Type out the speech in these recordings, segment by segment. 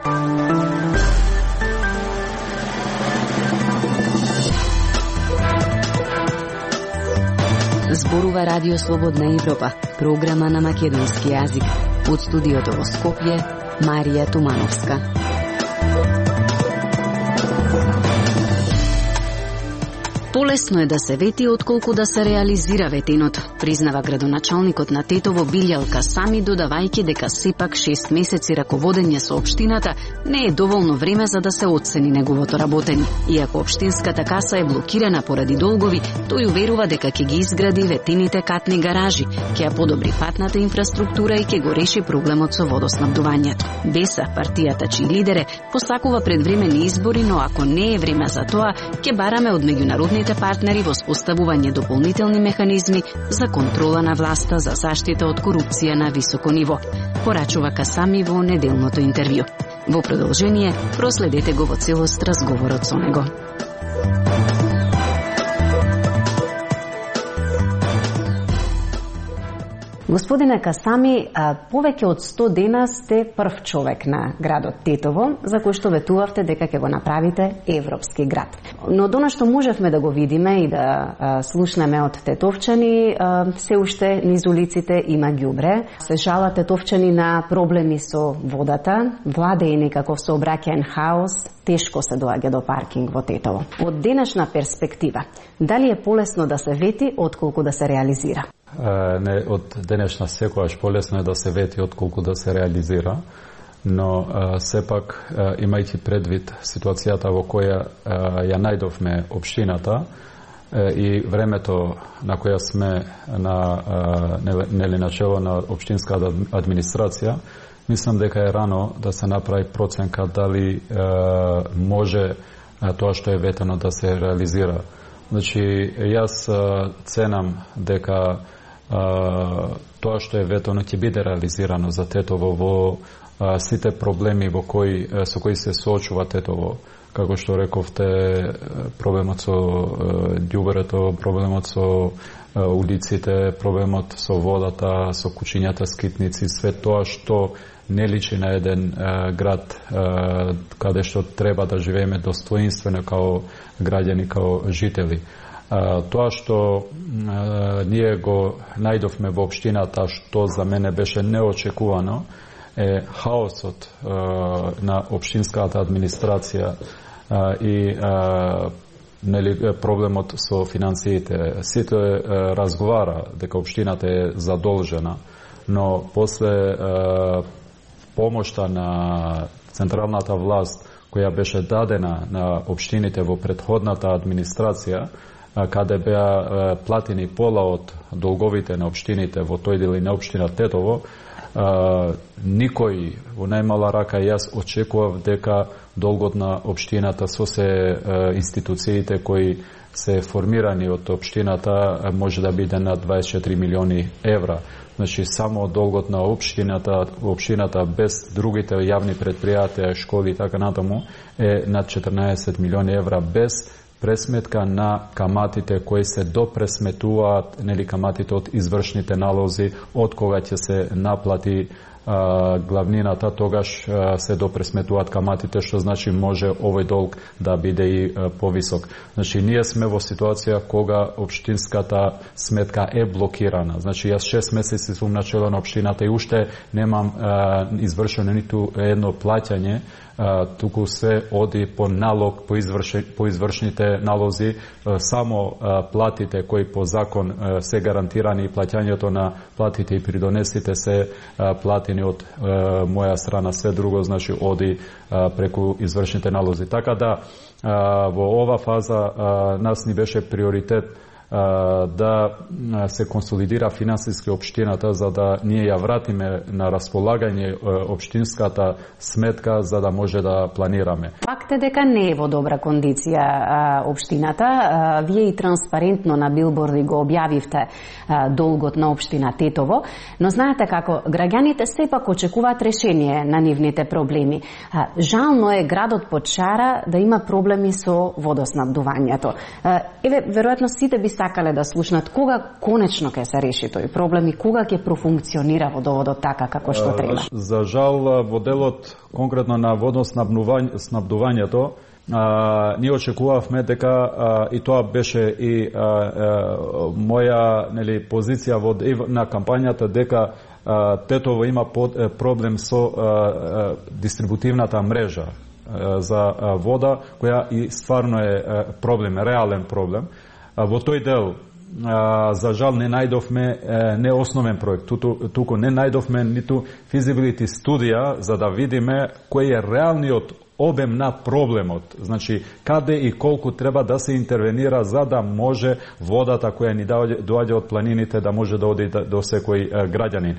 Зборува Радио Слободна Европа, програма на македонски јазик. Од студиото во Скопје, Марија Тумановска. Полесно е да се вети отколку да се реализира ветеното, признава градоначалникот на Тетово Билјал Касами, додавајќи дека сепак 6 месеци раководење со општината не е доволно време за да се оцени неговото работење. Иако општинската каса е блокирана поради долгови, тој уверува дека ќе ги изгради ветените катни гаражи, ќе ја подобри патната инфраструктура и ќе го реши проблемот со водоснабдувањето. Деса, партијата чиј лидер е, посакува предвремени избори, но ако не е време за тоа, ќе бараме од меѓународните партнери во споставување дополнителни механизми за контрола на власта за заштита од корупција на високо ниво, порачува Касами во неделното интервју. Во продолжение, проследете го во целост разговорот со него. Господине Касами, повеќе од 100 дена сте прв човек на градот Тетово, за кој што ветувавте дека ќе го направите европски град. Но до што можевме да го видиме и да слушнеме од тетовчани, се уште низ улиците има ѓубре. Се жалат тетовчани на проблеми со водата, владе и некаков сообраќаен хаос, тешко се доаѓа до паркинг во Тетово. Од денешна перспектива, дали е полесно да се вети отколку да се реализира? Не, од денешна секогаш полесно е да се вети отколку да се реализира, но сепак имајќи предвид ситуацијата во која ја најдовме општината и времето на која сме на начело на општинската администрација, мислам дека е рано да се направи проценка дали може тоа што е ветено да се реализира. Значи, јас ценам дека тоа што е ветено ќе биде реализирано за Тетово во сите проблеми со кои се соочува Тетово. Како што рековте, проблемот со ѓубрето, проблемот со улиците, проблемот со водата, со кучињата скитници, све тоа што не личи на еден град каде што треба да живееме достоинствено као граѓани, као жители. Тоа што ние го најдовме во општината, што за мене беше неочекувано, е хаосот на општинската администрација и проблемот со финансиите. Сите разговара дека општината е задолжена, но после помошта на централната власт која беше дадена на општините во претходната администрација, каде беа платени пола од долговите на општините во тој дел на општина Тетово, никој во најмала рака јас очекував дека долгот на општината со се институциите кои се формирани од општината може да биде над 24 милиони евра. Значи, само долгот на општината без другите јавни предпријатија, школи и така натаму е над 14 милиони евра без пресметка на каматите кои се допресметуваат, нели каматите од извршните налози, од кога ќе се наплати главнината, тогаш се допресметуваат каматите, што значи може овој долг да биде и повисок. Значи, ние сме во ситуација кога општинската сметка е блокирана. Значи, јас 6 месеци сум начело на општината и уште немам извршено ниту едно плаќање, туку се оди по налог, по извршните налози, само платите кои по закон се гарантирани и плаќањето на платите и придонесите се платени од моја страна, све друго значи оди преку извршните налози. Така да во ова фаза нас ни беше приоритет да се консолидира финансиски општината за да ние ја вратиме на располагање општинската сметка за да може да планираме. Факт е дека не е во добра кондиција општината. Вие и транспарентно на билборди го објавивте долгот на општина Тетово, но знаете како граѓаните сепак очекуваат решение на нивните проблеми. Жално е градот под шара да има проблеми со водоснабдувањето. Веројатно сите би сакале да слушнат кога конечно ќе се реши тој проблем и кога ќе профункционира водоводот така како што треба? За жал во делот конкретно на водоснабдувањето ние очекувавме дека и тоа беше и моја позиција на кампањата дека Тетово има проблем со дистрибутивната мрежа за вода, која и стварно е проблем, реален проблем. Во тој дел за жал не најдовме не основен проект, туку не најдовме ниту физибилити студија за да видиме кој е реалниот обем на проблемот, значи каде и колку треба да се интервенира за да може водата која ни доаѓа од планините да може да оди до секој граѓанин.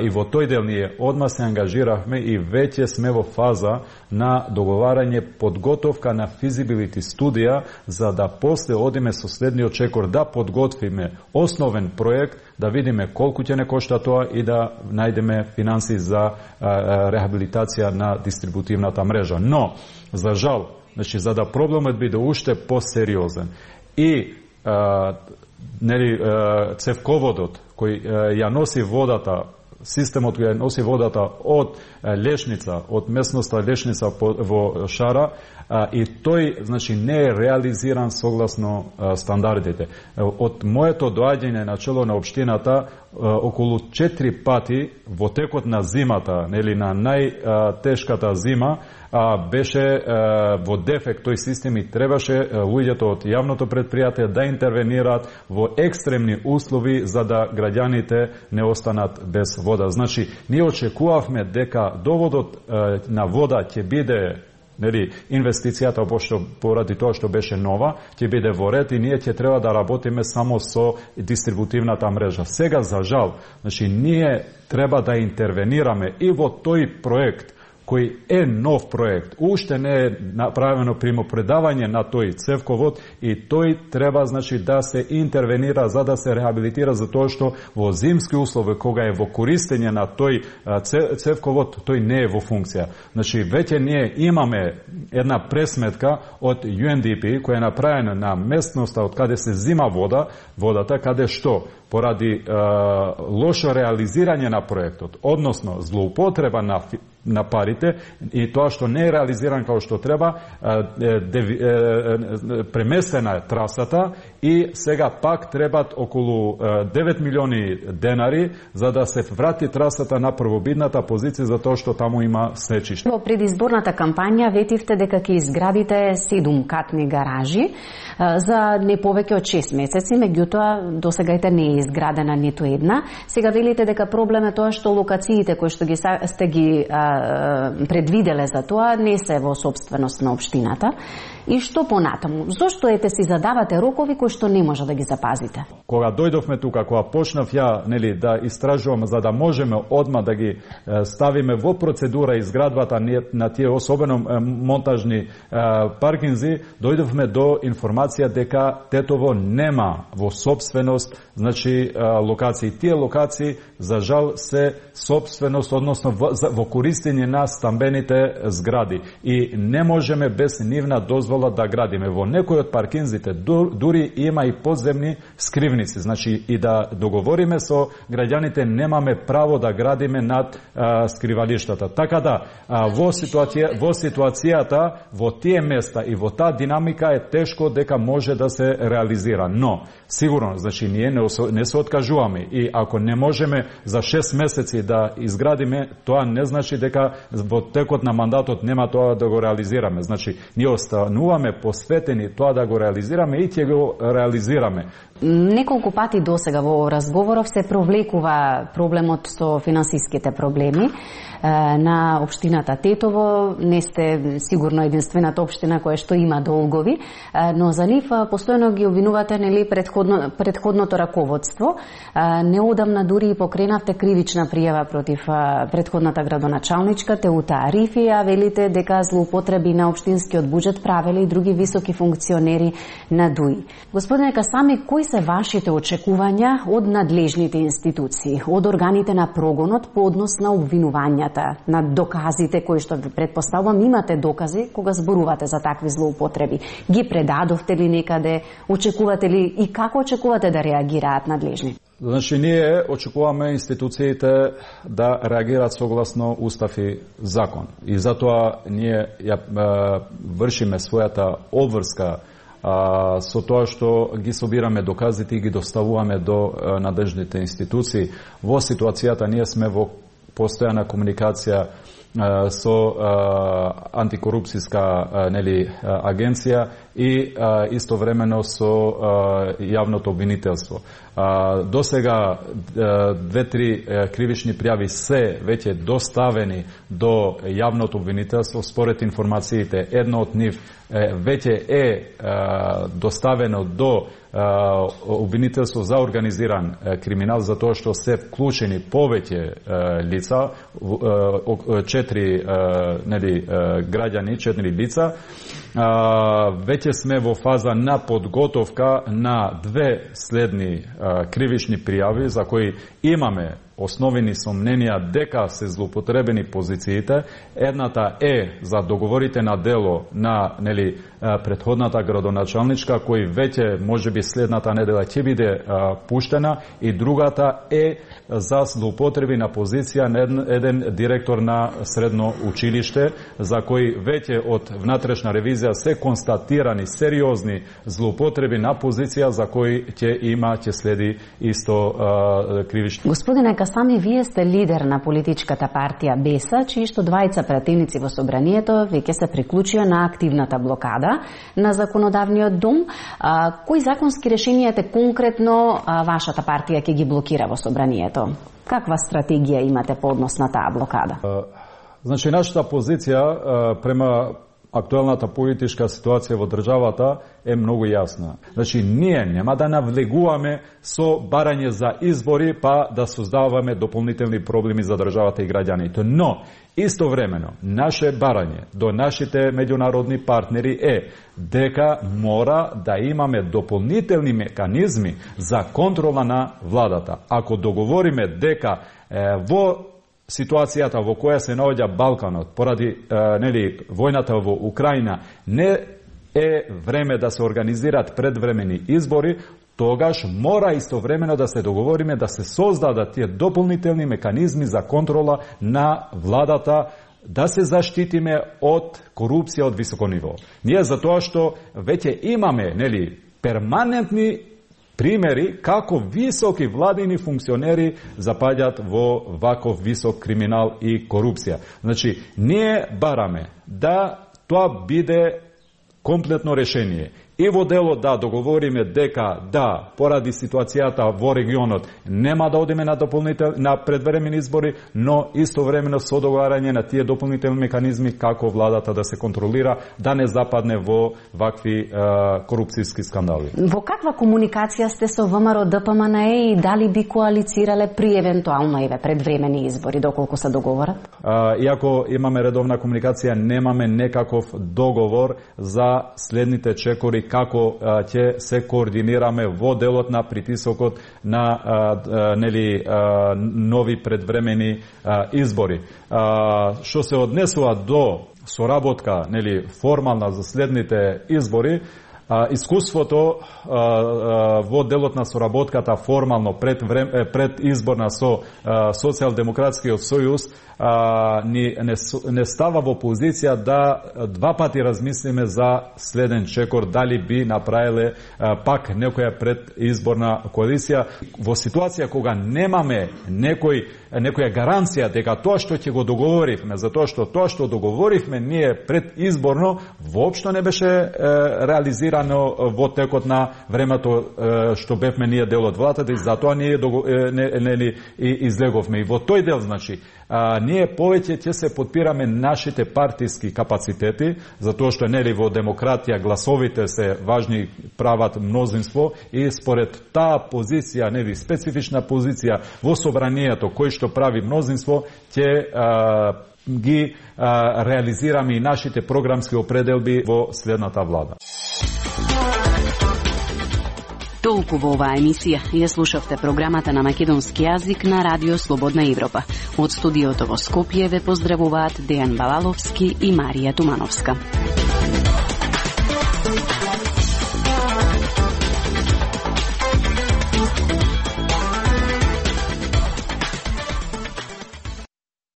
И во тој дел ние одма се ангажиравме и веќе сме во фаза на договарање подготовка на физибилити студија за да после одиме со следниот чекор да подготвиме основен проект, да видиме колку ќе не кошта тоа и да најдеме финанси за рехабилитација на дистрибутивната мрежа. Но, за жал, значи, за да проблемот биде уште посериозен и цевководот кој ја носи водата, системот кој ја носи водата од Лешница, од местноста Лешница во Шара, и тој, значи, не е реализиран согласно стандардите. Од моето доаѓање на чело на општината, околу 4 пати во текот на зимата, нели на најтешката зима, беше во дефект тој систем и требаше луѓето од јавното предпријатие да интервенираат во екстремни услови за да граѓаните не останат без вода. Значи, ние очекувавме дека доводот на вода ќе биде инвестицијата поради тоа што беше нова, ќе биде во ред и ние ќе треба да работиме само со дистрибутивната мрежа. Сега, за жал, значи, ние треба да интервенираме и во тој проект, кој е нов проект, уште не е направено примопредавање на тој цевковод и тој треба, значи, да се интервенира за да се рехабилитира, за тоа што во зимски услови, кога е во користење на тој цевковод, тој не е во функција. Значи, веќе ние имаме една пресметка од UNDP која е направена на местноста од каде се зима водата, каде што поради лошо реализирање на проектот, односно злоупотреба на парите и тоа што не е реализиран како што треба, преместена е трасата и сега пак требат околу 9 милиони денари за да се врати трасата на првобидната позиција за тоа што таму има снечиште. Во предизборната кампања ветивте дека ќе изградите 7-катни гаражи за не повеќе од 6 месеци, меѓутоа досегајте не е изградена ниту една. Сега велите дека проблем е тоа што локациите кои што сте ги предвиделе за тоа не се во собственост на општината. И што понатаму? Зошто си задавате рокови кои што не може да ги запазите? Кога дојдовме тука, кога почнав ја да истражувам за да можеме одма да ги ставиме во процедура изградбата на тие особено монтажни паркинзи, дојдовме до информација дека Тетово нема во собственост, значи локации. Тие локации за жал се собственост, односно во користење на стамбените згради и не можеме без нивна дозвола да градиме. Во некои од паркинзите дури има и подземни скривници. Значи и да договориме со граѓаните немаме право да градиме над скривалиштата. Така да во ситуацијата во тие места и во таа динамика е тешко дека може да се реализира. Но сигурно, значи ние не се откажуваме и ако не можеме за 6 месеци да изградиме, тоа не значи дека во текот на мандатот нема тоа да го реализираме. Значи ние остануваме посветени тоа да го реализираме и ќе го реализираме. Неколку пати досега во разговоров се провлекува проблемот со финансиските проблеми на општината Тетово. Не сте сигурно единствената општина која што има долгови, но за нив постојано ги обвинувате предходното раководство. Неодамна дури и покренавте кривична пријава против предходната градоначалничка Теута Арифи, а велите дека злоупотреби на општинскиот буџет правеле и други високи функционери на ДУИ. Господине Касами, кои се вашите очекувања од надлежните институции, од органите на прогонот по однос на обвинувањата, на доказите кои што ви предпоставувам имате докази кога зборувате за такви злоупотреби? Ги предадовте ли некаде? Очекувате ли и како очекувате да реагираат надлежни? Значи, ние очекуваме институциите да реагираат согласно устав и закон. И затоа ние вршиме својата обврска со тоа што ги собираме доказите и ги доставуваме до надлежните институции. Во ситуацијата ние сме во постојана комуникација со антикорупцијска агенција и истовремено со јавното обвинителство. До сега 2-3 кривични пријави се веќе доставени до јавното обвинителство. Според информациите, едно од нив веќе доставено до обвинителство за организиран криминал, затоа што се вклучени повеќе лица, 4 граѓани, 4 лица. Веќе сме во фаза на подготовка на 2 следни кривични пријави за кои имаме основени сомненија дека се злоупотребени позициите. Едната е за договорите на дело на претходната градоначалничка, кој веќе можеби следната недела ќе биде пуштена, и другата е за злоупотреби на позиција на еден директор на средно училиште, за кој веќе од внатрешна ревизија се констатирани сериозни злоупотреби на позиција за кој ќе следи исто кривични. Господине Касами, вие сте лидер на политичката партија БЕСА, чии што двајца пратеници во собранието веќе се приклучија на активната блокада на законодавниот дом. Кои законски решенија конкретно вашата партија ќе ги блокира во собранието? Каква стратегија имате по однос на таа блокада? Значи, нашата позиција према актуелната политичка ситуација во државата е многу јасна. Значи, ние нема да навлегуваме со барање за избори, па да создаваме дополнителни проблеми за државата и граѓаните. Но, истовремено, наше барање до нашите меѓународни партнери е дека мора да имаме дополнителни механизми за контрола на владата. Ако договориме дека во ситуацијата во која се наоѓа Балканот поради војната во Украина не е време да се организираат предвремени избори, тогаш мора истовремено да се договориме да се создадат тие дополнителни механизми за контрола на владата, да се заштитиме од корупција од високо ниво. Ние затоа што веќе имаме перманентни примери како високи владини функционери запаѓаат во ваков висок криминал и корупција. Значи, ние бараме да тоа биде комплетно решение. И во дело да договориме дека да, поради ситуацијата во регионот, нема да одиме на предвремени избори, но истовремено со договарање на тие дополнителни механизми како владата да се контролира, да не западне во вакви корупцијски скандали. Во каква комуникација сте со ВМРО ДПМНЕ и дали би коалицирале при евентуално предвремени избори, доколку се договорат? Иако имаме редовна комуникација, немаме некаков договор за следните чекори како ќе се координираме во делот на притисокот на нови предвремени избори. Што се однесува до соработка формална за следните избори, искуството во делот на соработката формално пред изборна со Социјалдемократскиот сојуз не става во позиција да два пати размислиме за следен чекор, дали би направиле пак некоја предизборна коалиција во ситуација кога немаме некоја гаранција дека тоа што ќе го договоривме, затоа што тоа што договоривме ние предизборно воопшто не беше реализирано во текот на времето што бевме ние дел од владата, и затоа ние излеговме. И во тој дел, значи, ние повеќе ќе се подпираме нашите партиски капацитети, затоа што во демократија гласовите се важни, прават мнозинство, и според таа позиција, специфична позиција во собранието кој што прави мнозинство, ќе ги реализираме и нашите програмски определби во следната влада. Толку во оваа емисија. Ја слушавте програмата на македонски јазик на Радио Слободна Европа. Од студиото во Скопје ве поздравуваат Дејан Балаловски и Марија Тумановска.